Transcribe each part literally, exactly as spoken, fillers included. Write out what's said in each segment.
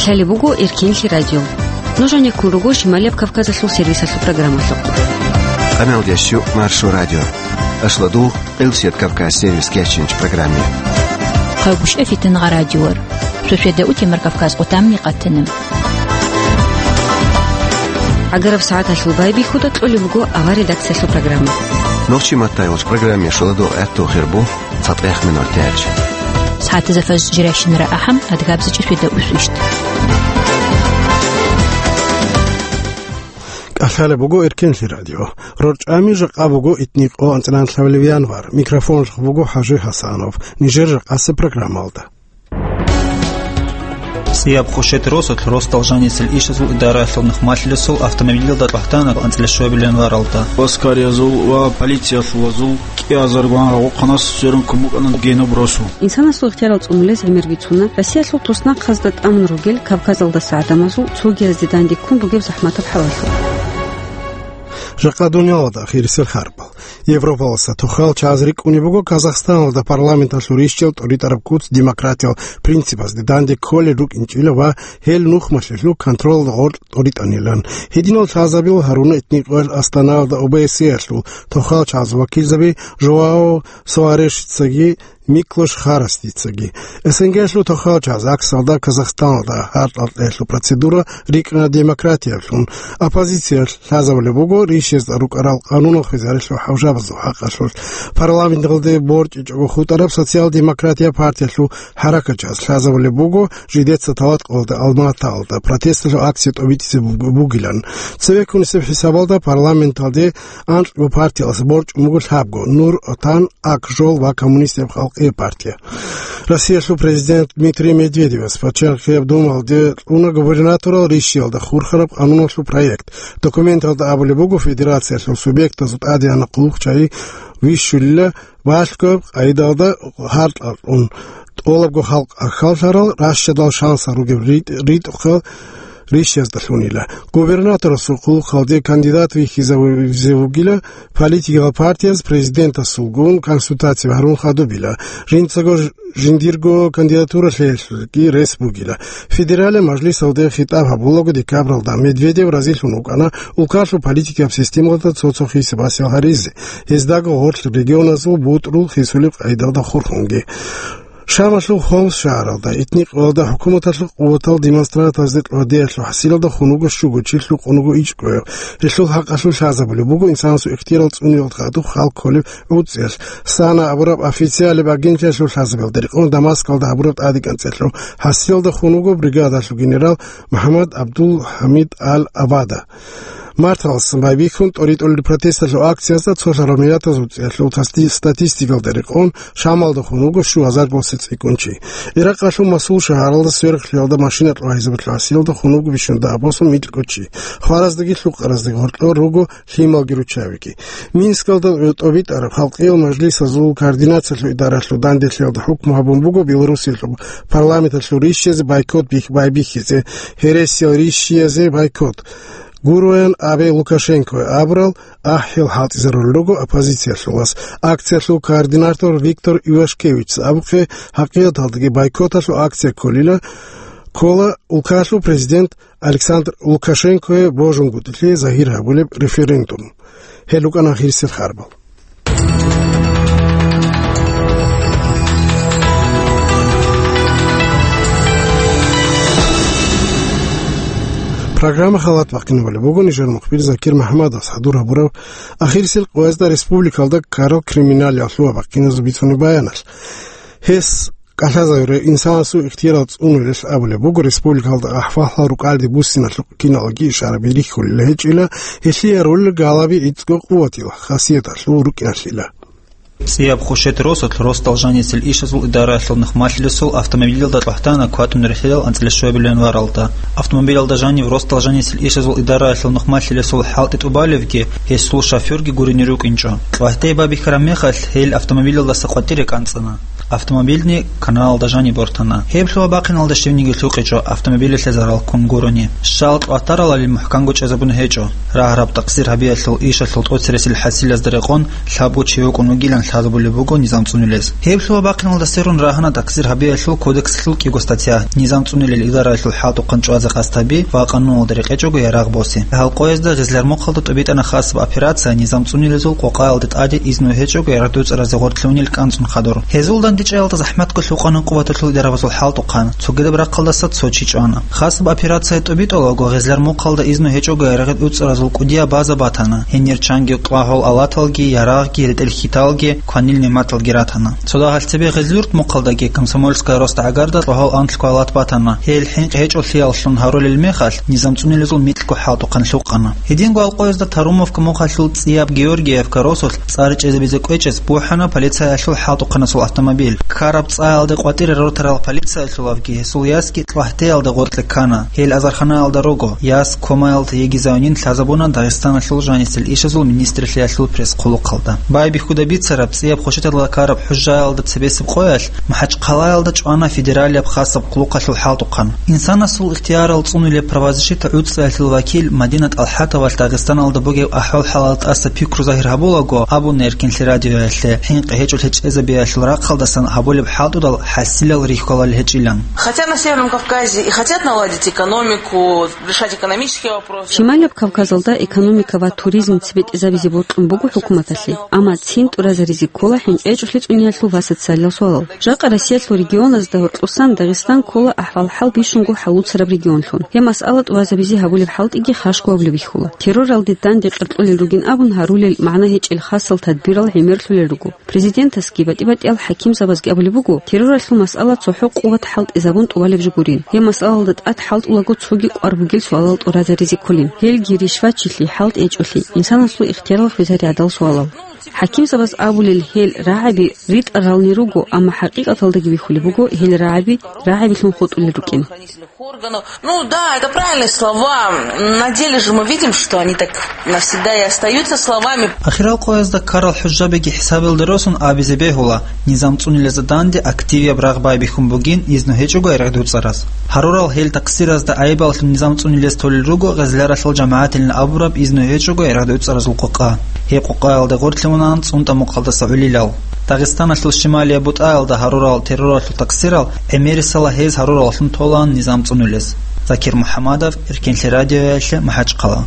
Лъалеб буго Эркенлъи радио. Нуж гьанеккун руго Шималияб Кавказалъул сервисалъул программалъухъ. Къаналдящу Маршо радио. Ашладул Къилсият Кавказ сервис кечинч программе. Хъагушев Фитнагъа радиор. Шошеда утемар Кавказ къутамни къатана. Агараб сагӀаталъул байбихьуда кьолеб буго авар редакциялъул программа. Нохчи матайвуч программе шуладо этту хирбу. ЦатӀех минор тяч. СагӀатазда фаз жирайщинара ахӀам, адгабзачӀи шведа усвищт. КӀалъалеб буго Эркенлъи радио. РорчӀами жакъа буго итникъо анцӀран лъабилеб январ. Микрофонлъухъ буго ХӀажи Гьасанов. Нижер жакъасеб программалда. ЦӀияб Хушет росулъ росдал жанисел ишазул идараялъул нухмалъилесул автомобилялда кьвахӀдана анцӀила щуабилан варалда. Аскариязул ва полициялъулазул кӀиазаргван гьагъухъанас сверун кумукӀана генаб росу. Инсанасул ихтиярал цӀунулез гӀемер бицуна Россиялъул туснахъазда тӀамун ругел Кавказалдаса гӀадамазул цогиязде данде ккун бугеб захӀматаб хӀалалъулъ. Жакъа дуниялалда ахирисел харбал. Европаласа тухал чагӀаз рикӀкӀунеб буго Казахстаналда парламенталъул рищал тӀуритӀараб куц демократиял принципазде данде кколел рукӀинчӀила ва гьел нухмалъилъул контролалда гъоркь тӀуритӀанилан. Гьединал лъазабил гьаруна этникъоял Астанаялда ОБСЕ-ялъул тухал чагӀаз вакилзаби Жоао Суарешицаги Миклош Харасдицаги. СНГ-лъул тухал чагӀаз ГАКС-алда Казахстаналда гьаркьалъиялъул процедура рикӀкӀана демократиялъун. Оппозиция лъазабулеб буго рищезда рукӀарал къанунал хвезарилъул хӀалжабазул хӀакъалъулъ. Парламенталде борчӀичӀого хутӀараб Социал-демократия партиялъул хӀаракатчагӀаз лъазабулеб буго жидеца талат къоялда Алматаялда протесталъул акция тӀобитӀизе буг-, бугилан. Цевеккунисеб хӀисабалда парламенталде анкьго партиялъ борчӀун буго лъабго: Нур Отан, Ак жол ва Коммунистияб халкъияб партия. Россиялъул президент Дмитрий Медведевас Пачалихъияб Думалде кьуна губернаторал рищиялда хурхараб къануналъул проект. Документалда абулеб буго, федерациялъул субъектазул тӀадегӀанаб хъулухъчагӀи вищулила балъгояб къайдалда гьаркьалъун, тӀолабго халкъ ахьаллъарал ращадал шансал ругеб ритӀ-, ритӀухъал рищаздалъунила. Губернаторасул хъулухъалде кандидат вихьизавизе вугила, политикал партияз президентасулгун консультация гьарун хадубила. Жинцаго ж-, жиндирго кандидатура лъеялъулги рес бугила. Федералияб мажлисалде хитӀаб гьабулаго декабралда Медведев разилъун вукӀана улкалъул политикияб системалда цо-цо хисаб-хӀисаб гьаризе, гьездаго гъорлъ регионазул бутӀрул хисулеб къайдалда хурхунги. Шамалъул Хомс шагьаралда этникъоялда хӀукуматалъул къуватал демонстратазде кьвадиялъул хӀасилалда хун вуго щуго чи, лъукъун вуго ичӀго гьев. Гьелъул хӀакъалъулъ лъазабулеб буго инсанасул ихтияр цӀуниялда хадуб хал кколеб гӀуцӀиялъ. САНА абураб официалияб агентиялъул лъазабиялда рекъон Дамаскалда гьабураб тӀадекӀанцӀелъул хӀасилалда хун вуго бригадалъул генерал МухӀаммад ГӀабдул-ХӀамид Ал-Абада. Марталъ байбихьун тӀоритӀулел протесталъул акциязда цолъараб миллатазул цӀиялъул тасти-, статистикалда рекъон, Шамалда хун вуго щугьазар босизе цӀикӀкӀун чи. Иракъалъул Мосул шагьаралда сверухълъиялда машина кьвагьизабулъул хӀасилалда хун вуго бищунда абосун микьго чи. Хвараздаги лъукъараздаги гьоркьор руго лъималги руччабиги. Минскалда тӀобитӀараб халкъиял мажлисазул координациялъул идаралъул данделъиялда хӀукму гьабун буго Белоруссиялъул парламенталъул рищазе бойкот бих-, байбихьизе, гьересиял рищиязе бойкот. Гуроян абе Лукашенкое абурал ахӀи хӀалтӀизарулел руго оппозициялъулас. Акциялъул координатор Виктор Ивашкевичас абухъе, хӀакъикъаталдаги бойкоталъул акция кколила, ккола улкалъул президент Александр Лукашенкое божунгутӀилъи загьир гьабулеб референдум. Гьел рукӀана ахирисел харбал. Программа халат бахъинабулеб буго нижер мухбир Закир МухӀаммадовас хӀадур гьабураб ахирисел къоязда республикалда ккарал криминалияб лъугьа-бахъиназул бицунеб баяналъ. Гьес кӀалъазавире инсанасул ихтиярал цӀунулел абулеб буго, республикалда ахӀвалал рукӀалде буссиналъухъ киналги ишараби рихьулел гьечӀила, гьелъие роль галаби ицӀго къуватила хасияталъул рукӀиналъила. ЦӀияб Хушет росулъ росдал жанисел ишазул идараялъул нухмалъилесул автомобилялда кьвахӀдана кватӀун рихьилал анцӀила щуабилан варалда. Автомобилялда жанив росдал жанисел ишазул идараялъул нухмалъилесул хӀалтӀи тӀубалевги, гьесул шофёрги гурине рукӀинчӀо. КьвахӀдай байбихьараб мехалъ гьел автомобилялдаса къватӀире кӀанцӀана. Автомобильни каналалда жаниб бортана. Гьеб лъугьа-бахъиналда щивниги лъукъичӀо автомобилалъе зарал ккун гурони. Щал кьватаралали мухӀканго чӀезабун гьечӀо. Рагьараб такъсир гьабиялъул ишалъул тӀоцересел хӀасилазда рекъон лъабго чи вукӀун вугилан лъазабулеб буго низам цӀунулез. Гьеб лъугьа-бахъиналда сверун рагьана такъсир гьабиялъул кодекслъул кӀиго статья, низам цӀунулел идараялъул хӀалтӀухъан чӀвазе къасд гьаби ва къануналда рекъечӀого ярагъ босе. Гьалкъоязда Гъезлярмухъалда тӀубитӀана хасаб операция, низам цӀунулезул къокъаялде тӀаде изну гьечӀого ярагъ дуцӀаразе гъоркьлъунил кӀанцӀун хадур. Гьезул дандечӀеялда захӀматго лъукъана къуваталъул идарабазул хӀалтӀухъан, цогидаб рахъалдаса цо чи чӀвана. Хасаб операция тӀубитӀулаго Гъезлярмухъалда изну гьечӀого ярагъ дуцӀаразул кӀудияб база батана, гьенир чанги кьвагьул алаталги, ярагъги, ретӀел хьиталги, кванил нигӀматалги ратана. Цо дагьалъ цебе Гъезлюрт мухъалдаги Комсомольская роста гӀагарда кьвагьул анлъго алат батана, гьел хӀинкъи гьечӀолъияллъун гьарулел мехалъ, низам цӀунулезул микьго хӀалтӀухъан лъукъана. Гьединго Алкъоязда Тарумовка мухъалъул цӀияб Георгиевка росулъ цӀар чӀезабизе кӀвечӀез бухӀана полицаялъул хӀалтӀухъанасул автомобиль. Ккараб цӀаялде къватӀире рортарал полициялъулавги гьесул ясги кьвагьтеялда гъоркье ккана. Гьел азарханаялда руго, яс комаялда йигизавнин лъазабуна Дагъистаналъул жанисел ишазул министрлъиялъул пресс-хъулухъалда. Байбихьуда бицараб цӀияб хвешаталда ккараб хӀужаялда цебесеб къоялъ МахӀачхъалаялда чӀвана федералияб хасаб хъулухъалъул хӀалтӀухъан. Инсанасул ихтиярал цӀунулеб правозащита гӀуцӀиялъул вакил Мадина ТӀалхӀатовалъ Дагъистаналда бугеб ахӀвал-хӀалал тӀаса пикру загьир гьабулаго абуна Эркинлъи радиоялъе, хӀинкъи гьечӀолъи чӀезабиялъул рахъалдасан гьабулеб хӀалтӀудал хӀасилал рихьулел гьечӀилан. Хотят на Северном Кавказе и хотят наладить экономику, решать экономические вопросы. Шималияб Кавказалда экономика ва туризм цебетӀезабизе бокьун буго хӀукуматалъе, амма цин тӀуразаризе ккола хӀинкъи гьечӀолъи цӀуниялъул ва социалиял суалал. Жакъа Россиялъул регионазда гьоркьосан Дагъистан ккола ахӀвал-хӀал бищунго хӀалуцараб регионлъун. Гьеб масъала тӀуразабизе гьабулеб хӀалтӀиги хашго гьабулеб бихьула. Терроралде данде къеркьулел ругин абун гьарулел магӀна гьечӀел хасал тадбирал гӀемерлъулел руго. Президентасги батӀи-батӀиял хӀакимзабазги абулеб буго, терроралъул масъала цохӀо къуват хӀалтӀизабун тӀубалеб жо гурин. Гьеб масъалалда тӀад хӀалтӀулаго цоги кӀвар бугел суалал тӀуразаризе кколин. Гьелги ришвачилъи, хӀалтӀи гьечӀолъи, инсанасул ихтиярлъи хвезари гӀадал суалал. ХӀакимзабаз абулел гьел рагӀаби ритӀарални руго, амма хӀакъикъаталдаги бихьулеб буго гьел рагӀаби рагӀабилъун хутӀулел рукӀин. Ну да, это правильные слова. На деле же мы видим, что они так навсегда и остаются словами. Ахирал къоязда ккарал хӀужабиги хӀисабилда росун абизе бегьула, низам цӀунилезда данде активияб рагъ байбихьун бугин изну гьечӀого гӀергъи дуцӀараз. Гьарурал гьел такъсиразда гӀайибаллъун низам цӀунилез толел руго гъезляралъул жамагӀатилан абураб изну гьечӀого гӀергъи дуцӀаразул къокъа. Гьеб къокъаялда гъорлъе унаан ЦӀунтӀа мухъалдаса гӀолилал. Дагъистаналъул шималияб бутӀаялда гьарурал терроралъул такъсирал гӀемерисела гьез гьарураллъун толаан низам цӀунулез. Закир МухӀамадов, Эркенлъи радиоялъе, МахӀачхъала.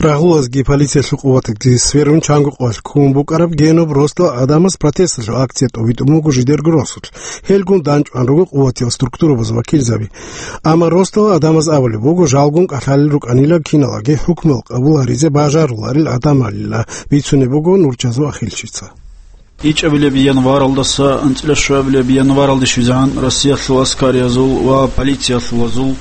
Рагъулазги полициялъул къуватги сверун чанго къоялъ ккун букӀараб Генуб росдал гӀадамаз протесталъул акция тӀобитӀун буго жидерго росулъ. Гьелгун данчӀван руго къуватиял структурабазул вакилзаби. Амма росдал гӀадамаз абулеб буго, жалгун кӀалъалел рукӀанила киналаги хӀукму къабул гьаризе бажаруларел гӀадамалила, бицунеб буго Нурчазул Ахилчица. ИчӀабилеб январалдаса анцӀила щуабилеб январалде щвезегӀан Россиялъул аскариязул ва полициялъулазул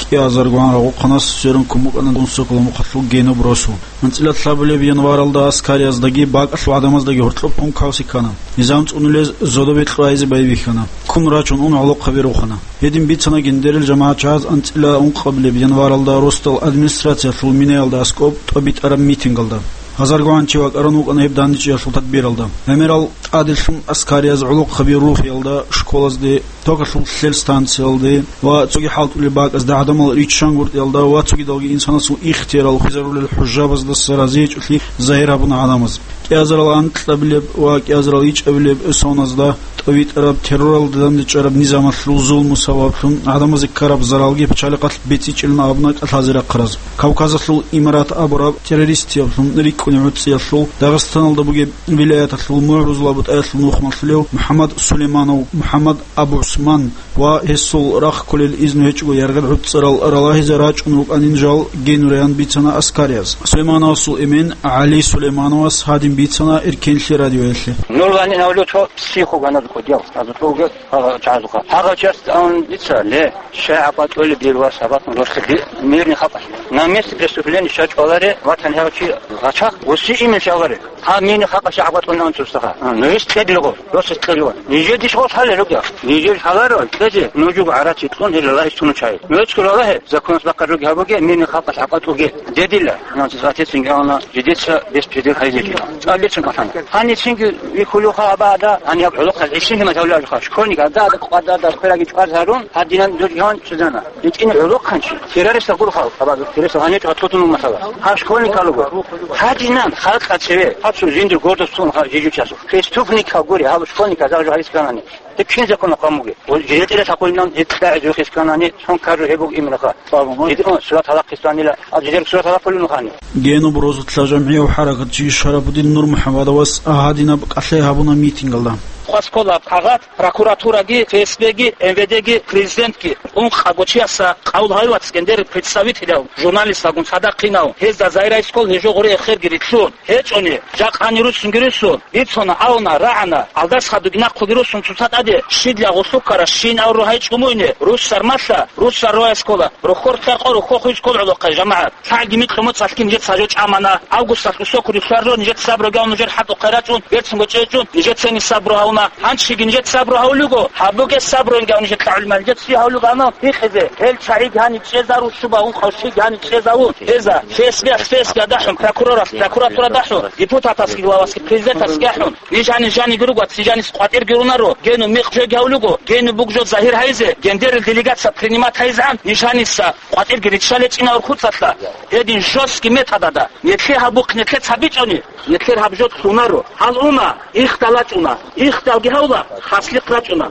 кӀиазаргогӀан рагъухъанас сверун ккун букӀана Гунсокола мухъалъул Генуб росу. АнцӀила лъабабилеб январалда аскарияздаги бакӀалъул гӀадамаздаги гьоркьоб ккун кавси ккана. Низам цӀунулез зодобе кьвайзе байбихьана. Ккун рачун ун гӀолохъаби рухана. Гьедин бицана гьендерил жамагӀатчагӀаз анцӀила ункъабилеб январалда росдал администрациялъул минаялда аскӀоб тӀобитӀараб митингалда. ГьазаргогӀан чи вакӀарун вукӀана гьеб дандечӀеялъул тадбиралда. ГӀемерал тӀаделъун аскарияз гӀолохъаби рухиялда, школазде, токалъул лъел станциялде ва цоги хӀалтӀулеб бакӀазда гӀадамал риччангуртӀиялда ва цогидалги инсанасул ихтиярал хвезарулел хӀужабаздаса разиячӀолъи загьир гьабуна гӀадамаз. КӀиазарал анкьабилеб ва кӀиазарал ичӀабилеб соназда тӀовитӀараб терроралда дандечӀараб низамалъул зулму сабаблъун гӀадамазе ккараб заралги пачалихъалъ бецӀичӀилан абуна кӀалъазе рахъараз. Кавказалъул имарат абураб террористиялъун рикӀкӀунеб гӀуцӀиялъул Дагъистаналда бугеб вилаяталъул МугӀрузул бутӀаялъул нухмалъулев МухӀаммад Сулейманов, МухӀаммад Абу ГӀусман ва гьесул рахъ кколел изну гьечӀого яргъил гӀуцӀарал ралагьизе рачӀун рукӀанин жал генураян бицана аскарияз. Сулеймановасул эмен ГӀали Сулеймановас гьадин бицана Эркенлъи радиоялъе. Ну, они на улицу психу гонят, кудел, а зато уже, а, чазуха. Хагачаст он лица, ле, шай абатули бирва сабат нурсили, мирный хапас. На месте преступления ща чуаларе, ватан хавчи гачах, уси имя чуаларе. Гьаб мини халкъалъе гӀакъатӀун анцӀ устаха. А, нуж кьедлъугъо, росас кьедлъугъо. Нижер дишгъо лъалел ругел. Нижер лъаларо кьезе, нужего гӀарац итӀун гьел лагьи цунучай. Нужецго лагье, законалъ бахъараб руги гьабуге, мини халкъалъ гӀакъатӀуге. Дедила, анцӀ гъатецинги ана, жидеца бес педер хайзеги. ЦӀаллъецин кӀалъана. Гьаницинги вихьулевха абада, гьаниб гӀолохъал гӀишин гьимал гьавлажха, школьник, ада, ада, къвада, ада, хвераги чӀваз гьарун, гьадинан дургьан чӀезана. ИтӀин гӀолохъанчи, террористал гурхъал, абазул террористал гьанив чӀватлъутун умматала. Гьаб школьникалуго. Гьадинан халкъа цеве, гьаб цо жиндир гордость цун ха жижучасул. Преступникал гури, гьаб школьника загьжу гьарисканани. Гьеб кин законал къамуге. Ва жиндир тӀере лъакъулинан гьеб кьагӀи жухисканани, сон каржу гьеб буг имераха. Гьедин сурат гьалахъистанила, а жидер сурат гьалахъулин ухани. Генуб розулъа жамгӀияв хӀаракатчи Шарапудин Нурмухьамадовас гьадинаб кӀалъай гьабуна митингалда. Хъваскола кагъат Прокуратураги, ФСБги, МВДги, президентги, ункъабго чияса къавул гьавивац гьендер представителяв, журналисталгун цадахъинав, гьезда Заирайскол гьежо гъуре эхерги рилълъун гьечӀони, жакъани руссунги руссун, бицуна, авна, рагӀана, алдас хадуги нахъуги руссун цоца тӀаде, щидла гъулъуккара щин авру гьай чӀумуйне, руссар малъа, руссар рояскола, рохьор хъяркъо, рохьо хуйскол гӀолохъай, жамагӀат. ЛъагӀги микьумуц алъкин нижеца гьажо чӀамана. Августалъ усокури лъугьаржо нижеца сабру гьавна нужер хӀатӀухъе рачӀун, берцинго чӀечӀун, нижецани сабру гьавна. Гьанчиги нижеца сабру гьавлуго, гьабуге сабруинги гьав нижеца гӀулмал нижеца гьавлуго гьанав гьикъизе. Гьел чагӀиги гьани чӀезару шуба ункъав щиги гьани чӀезавун. Гьеза, ФСБ-алъ ФСБ дахӀун, прокуроралъ прокуратура дахӀун, депутатасги главасги президентасги ахӀун. Ниж гьани жаниги руго, ци жанис къватӀирги рунаро, гену микъ жоги гьавлуго, гену буг жо загьир гьайзе, гендерил делегация принимать гьайзегӀан, ниж гьаниса къватӀирги риччалечӀина урхуцалъа. Гьедин жестки методада, нилъе гьабухъ нилъе цабичӀони, нилъер гьаб жо лъунаро. Гьал уна, ихдал рачӀуна, ихдалги гьавла, хаслихъ рачӀуна.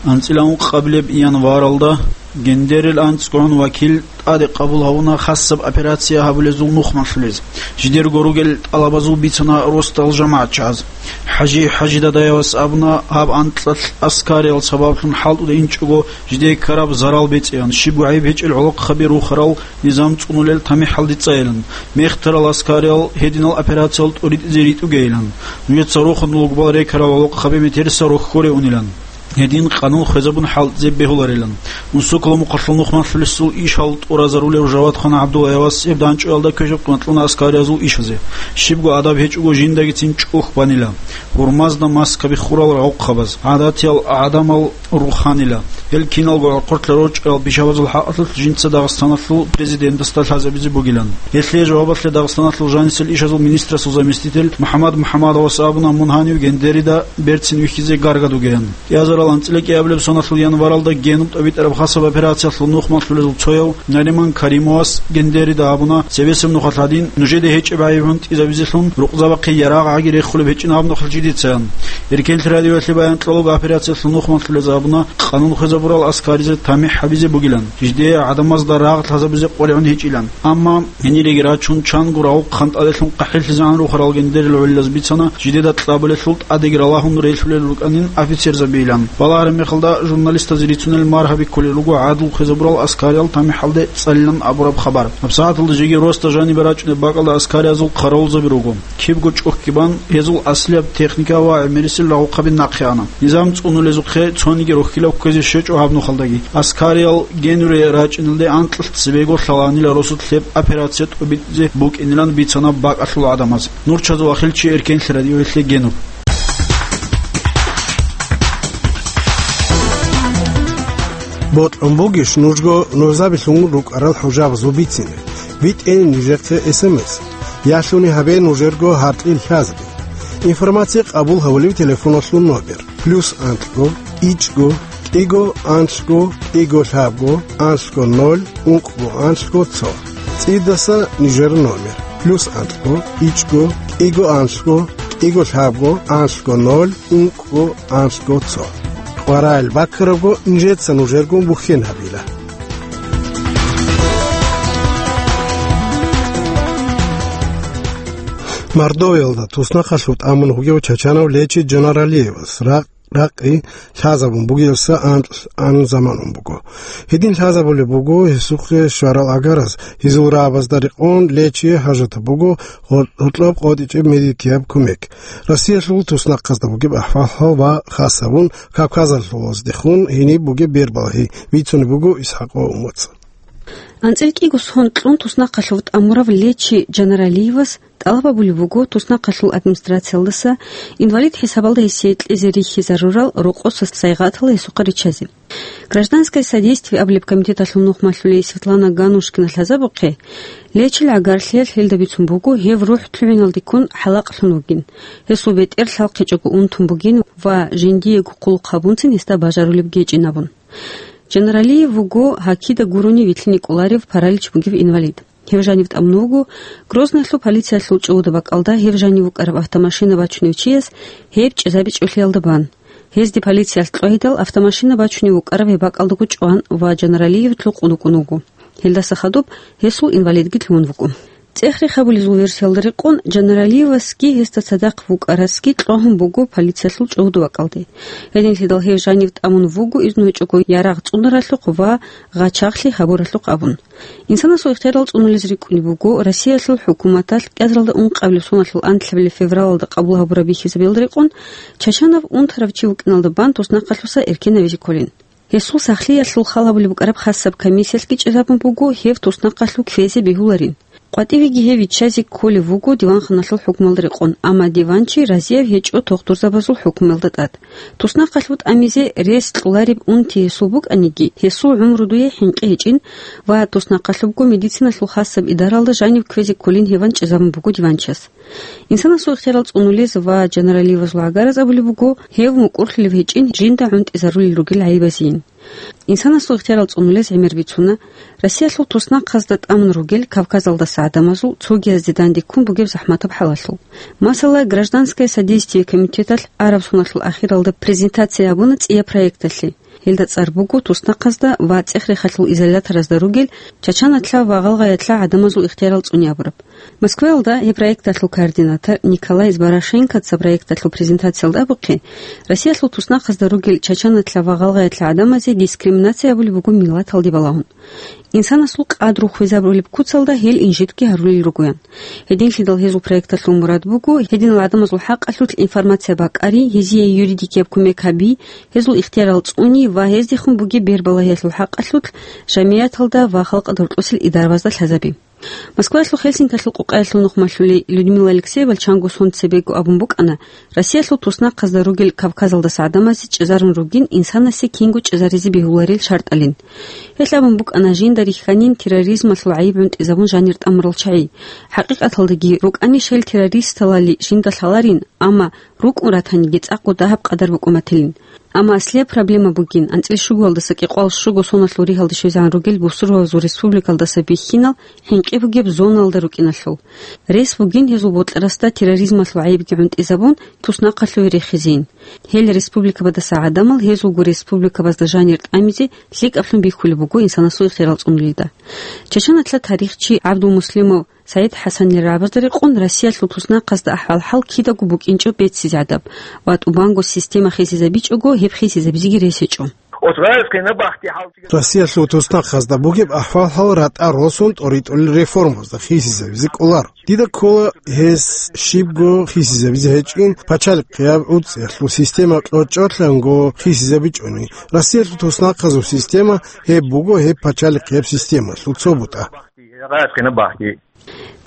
АнцӀила ункъабилеб январалда гендерил анцӀгун вакил тӀаде къабул гьавуна хасаб операция гьабулезул нухмалъулез. Жидерго ругел тӀалабазул бицана росдал жамагӀатчагӀаз. ХӀажи ХӀажидадаевас абуна, гьаб анкьалъ аскариял сабаблъун хӀалтӀуда инчӀого жидее ккараб зарал бецӀеян, щибго гӀайиб гьечӀел гӀолохъаби рухарал низам цӀунулел тамихӀалде цӀайилан, мехтарал аскариял гьединал операциял тӀуритӀизе ритӀугейилан, нужеца рохун лугбал рекарал гӀолохъаби метерса рохьоре унилан. Гьедин къанун хвезабун хӀалтӀизе бегьуларилан. Унсоколо мухъалъул нухмалъулесул ишал тӀуразарулев Жавадхан ГӀабдуллаевас гьеб данчӀоялда квешаб къиматлъуна аскариязул ишазе. Щибго адаб гьечӀого жиндагицин чӀухь банила. Гьурмазда маскаби хурал рагъухъабаз, гӀадатиял гӀадамал руханила. Гьел киналго гӀорхъоркьа рорчӀарал пишабазул хӀакъалъулъ жинца Дагъистаналъул президентасда лъазабизе бугилан. Гьелъие жавабалъе Дагъистаналъул жанисел ишазул министрасул заместитель МухӀаммад МухӀаммадовас абуна, мун гьанив гендерида берцин вихьизе гаргадугеян. КӀиазарал анцӀила кӀиабилеб соналъул январалда генуб тӀобитӀараб хасаб операциялъул нухмалъулезул цояв Нариман Каримовас гендерида абуна, цебесеб нухалъ гьадин нужеде гьечӀеб гӀайиб гьунтӀизабизелъун рукъзабахъе ярагъ гӀаги рехулеб гьечӀин гьаб нухалъ жидецаян. Эркенлъи радиоялъе баян кьолеб операциялъул нухмалъулез абуна, къанун хвезабурал аскаризе тамихӀ гьабизе бугилан, жидее гӀадамазда рагъ лъазабизе къваригӀун гьечӀилан. Амма гьениреги рачун, чанго рагъухъан тӀаделъун къахӀиллъизегӀан рухарал гендерил гӀолилаз бицана, жидеда кьабулелъул тӀадеги ралагьун релълъулел рукӀанин офицерзабийилан. Балагьараб мехалда журналистазе рицунел маргьаби кколел руго гӀадлу хвезабурал аскариял тамихӀалде цӀалилан абураб хабар. ГьабсагӀаталда жеги росда жанибе рачӀунеб бакӀалда аскариязул хъаравулзаби руго. Кибго чӀухӀги бан, гьезул аслияб техника ва гӀемерисел рагъухъаби нахъе ана. Низам цӀунулезухъе цониги рохьилаб кквезе щвечӀо гьаб нухалдаги. Аскариял генуре рачӀиналде анкьалъ цебего лъаланила росулъ гьеб операция тӀобитӀизе букӀинилан бицана бакӀалъул гӀадамаз. Нурчазул ахилчи, Эркенлъи радиоялъе генуб. Бокьун бугищ нужго нужзабилъун рукӀарал хӀужабазул бицине? БитӀе нижехъе эс эм эс. Ялъуни гьабе нужерго гьаркьил лъазби. Информация къабул гьавулев телефоналъул номер: плюс анлъго, ичӀго, кӀиго, анлъго, кӀиго, лъабго, анлъго, ноль, ункъго, анлъго, цо. ЦӀидаса нижер номер: плюс анлъго, ичӀго, кӀиго, анлъго, кӀиго, лъабго, анлъго, ноль, ункъго, анлъго, цо. КъваригӀел баккарабго нижеца нужергун бухьен гьабила. Мордовиялда туснахъалъув тӀамун вугев чачанав Лечи Джаналиевас ракъ-, ракъи лъазабун бугелса анкь-, анкь заман ун буго. Гьедин лъазабулеб буго гьесухъе щварал агараз, гьезул рагӀабазда рекъон Лечие хӀажатаб буго гьо-, гьоркьоб къотӀичӀеб медикияб кумек. Россиялъул туснахъазда бугеб ахӀвал ва хасабун Кавказалъулаздехун гьениб бугеб бербалъи бицунеб буго Исхакъов Умуца. АнцӀила кӀиго сон кьун туснахъалъув тӀамурав Лечи Жанаралиевас тӀалаб гьабулеб буго туснахъалъул администрациялдаса инвалид хӀисабалда гьесие кьезе рихьизарурал рокъоса сайгъатал гьесухъа риччазе. «Гражданское содействие» абулеб комитеталъул нухмалъулей Светлана Ганушкина лъазабухъе, Лечил гӀагарлъиялъ гьелда бицун буго гьев рухӀ лъугӀиналдеккун хӀалакълъун вугин, гьесул бетӀер лъалхъичӀого унтун бугин ва жиндиего хъулухъ гьабунцин гьесда бажарулеб гьечӀин абун. Жанаралиев вуго гьакида гурони вилълъине кӀоларев паралич бугев инвалид. Гьев жанив тӀамун вуго Грозныйлъул полициялъул чӀугӀуда бакӀалда гьев жанив вукӀараб автомашина бачунев чияс гьеб чӀезабичӀолъиялда бан. Гьезде полициялъ кьвагьидал автомашина бачунев вукӀараб гьеб бакӀалдаго чӀван ва Жанаралиев лъукъун вукӀун вуго. Гьелдаса хадуб гьесул инвалидги лъугьун вуго. ЦӀех-рех гьабулезул версиялда рекъон, Жанаралиевасги гьесда цадахъ вукӀарасги кьвагьун буго полициялъул чӀугӀуда бакӀалде. Гьединлъидал гьев жанив тӀамун вуго изну гьечӀого ярагъ цӀунаралъухъ ва гъачагълъи гьабуралъухъ абун. Инсанасул ихтиярал цӀунулез рикӀкӀунеб буго Россиялъул хӀукуматалъ кӀиазаралда ункъабилеб соналъул анлъабилеб февралалда къабул гьабураб бихьизабиялда рекъон, Чачанов унтарав чи вукӀиналда бан туснахъалъуса эркенавизе кколин. Гьесул сахлъиялъул хал гьабулеб букӀараб хасаб комиссиялъги чӀезабун буго гьев туснахъалъув кквезе бегьуларин. КъватӀивеги гьев виччазе кколев вуго диванханалъул хӀукмуялда рекъон, амма диванчи разияб гьечӀо тухтурзабазул хӀукмуялда тӀад. Туснахъалъув тӀамизе рес кьолареб унти гьесул букӀаниги, гьесул гӀумру дуе хӀинкъи гьечӀин ва туснахъалъубго медициналъул хасаб идаралда жанив кквезе кколин гьеван чӀезабун буго диванчияс. Инсанасул ихтиярал цӀунулез ва Жанаралиевазул гӀагараз абулеб буго, гьев мукӀурлъулев гьечӀин жинда гӀунтӀизарулел ругел гӀайибазейин. Инсанасул ихтиярал цӀунулез гӀемер бицуна Россиялъул туснахъазда тӀамун ругел Кавказалдаса гӀадамазул цогиязде данде ккун бугеб захӀматаб хӀалалъул. Масала, «Гражданское содействие» комитеталъ араб соналъул ахиралда презентация гьабуна цӀияб проекталъе. Гьелда цӀар буго туснахъазда ва цӀех-рехалъул изоляторазда ругел чачаналъа ва гъалгъаялъа гӀадамазул ихтиярал цӀуни абураб. Москваялда гьеб проекталъул координатор Николай Зборошенкоца проекталъул презентациялда абухъе, Россиялъул туснахъазда ругел чачаналъа ва гъалгъаялъа гӀадамазе дискриминация гьабулеб буго миллаталде балагьун. Инсанасул къадру хвезабулеб куцалда гьел инжитги гьарулел ругоян. Гьединлъидал гьезул проекталъул мурад буго гьединал гӀадамазул хӀакъалъулъ информация бакӀари, гьезие юридикияб кумек гьаби, гьезул ихтиярал цӀуни ва гьездехун бугеб бербалагьиялъул хӀакъалъулъ жамияталда ва халкъалда рокьосел идарабазда лъазаби. Москваялъул Хельсинкиялъул къукъаялъул нухмалъулей Людмила Алексеевал чанго сон цебего абун букӀана, Россиялъул туснахъазда ругел Кавказалдаса гӀадамазе чӀезарун ругин инсанасе кинго чӀезаризе бегьуларел шартӀалин. Гьелъ абун букӀана жинда рихьанин терроризмалъул гӀайиб гӀунтӀизабун жанир тӀамурал чагӀи. ХӀакъикъаталдаги рукӀанищ гьел террористалали жинда лъаларин, амма рукӀун ратаниги цӀакъго дагьаб къадар букӀун батилин. Амма аслияб проблема бугин, анцӀил щугоялдаса кӀикъоялда щуго соналъул ригьалде щвезегӀан ругел бусурбабазул республикалдаса бихьинал хӀинкъи бугеб зоналда рукӀиналъул. Рес бугин гьезул бокьарасда терроризмалъул гӀайибги гӀунтӀизабун, туснахъалъуве рехизейин. Гьел республикабадаса гӀадамал гьезулго республикабазда жанир тӀамизе лъикӀаблъун бихьулеб буго инсанасул ихтиярал цӀунулелда. Чачаналъа тарихчи ГӀабдулмуслимов СагӀид ХӀасанил рагӀабазда рекъон Россиялъул туснахъазда ахӀвал-хӀал кидаго букӀинчӀо беццизегӀадаб ва тӀубанго система хисизабичӀого гьеб хисизабизеги рес гьечӀо. Россиялъул туснахъазда бугеб ахӀвал-хӀал ратӀа росун тӀоритӀулел реформазда хисизабизе кӀоларо. Дида ккола гьес щибго хисизабизе гьечӀин, пачалихъияб гӀуцӀиялъул система кьочӀолъанго хисизабичӀони. Россиялъул туснахъазул система гьеб буго гьеб пачалихъияб системалъул цо бутӀа.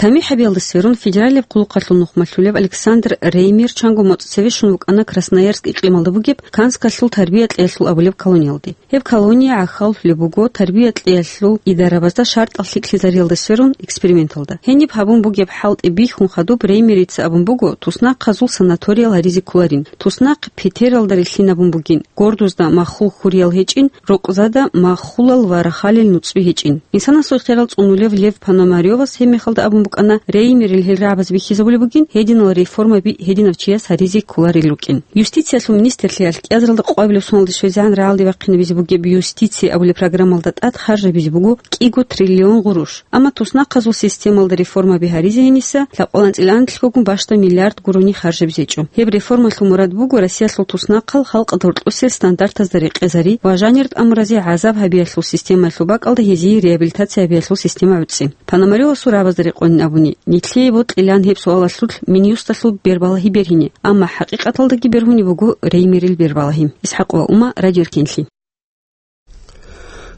ТамихӀ гьабиялда сверун, федералияб хъулухъалъул нухмалъулев Александр Реймер чанго моцӀ цеве щун вукӀана Красноярск икълималда бугеб Канскалъул тарбия-кьеялъул абулеб колониялде. Гьеб колония гӀахьаллъулеб буго тарбия-кьеялъул идарабазда шартӀал лъикӀлъизариялда сверун эксперименталда. Гьениб гьабун бугеб хӀалтӀи бихьун хадуб Реймерица абун буго, туснахъазул санаториял гьаризе кколарин. Туснахъ Петералда рилълъинабун бугин, Гордузда маххул хьуриял гьечӀин, Рокъзада маххулал ва рахалил нуцӀби гьечӀин. Инсанасул ихтиярал цӀунулев Лев Пономарёвас гьеб мехалда абун букӀана, Реймерил гьел рагӀабаз бихьизабулеб бугин, гьединал реформаби гьединав чияс гьаризе кколарел рукӀин. Юстициялъул министрлъиялъ кӀиазаралда къвабилеб соналде щвезегӀан рагӀалде вахъинабизе бугеб «Юстиция» абулеб программалда тӀад харжабизе буго кӀиго триллион гъуруш. Амма туснахъазул системалда реформаби гьаризе гьениса лъабкъоялда анцӀила анлъгогун бащдаб миллиард гурони харжабизе гьечӀо. Гьеб реформалъул мурад буго Россиялъул туснахъал халкъалда рокьосел стандартазда рекъезари ва жанир тӀамуразе гӀазаб гьабиялъул системаялъул бакӀалда гьезие реабилитация гьабиялъул система гӀуцӀи. Пономарёвасул рагӀабазда рекъонин абуни, нилъее бокьилаан гьеб суалалъулъ Минюсталъул бербалагьи бергьине, амма хӀакъикъаталдаги бергьунеб буго Реймерил бербалагьи. Исхьакъова Ума, Радио Эркенлъи.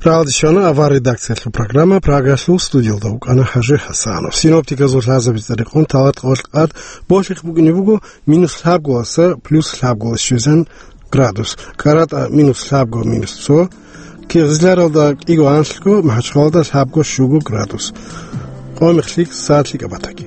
Рагьалде щвана авар редакциялъул программа, Прагалъул студиялда вукӀана ХӀажи ХӀасанов. Синоптиказул лъазабица рекъон талат къолкъад божихъ букӀине буго минус лъабголаса плюс лъабголас щвезан градус, КӀаратӀа минус лъабго, минус цо, Кигъизларалда кӀиго анлъго, МахӀачхъалалда лъабго щуго градус. Къомихълъи сад лъикӀаб батаги.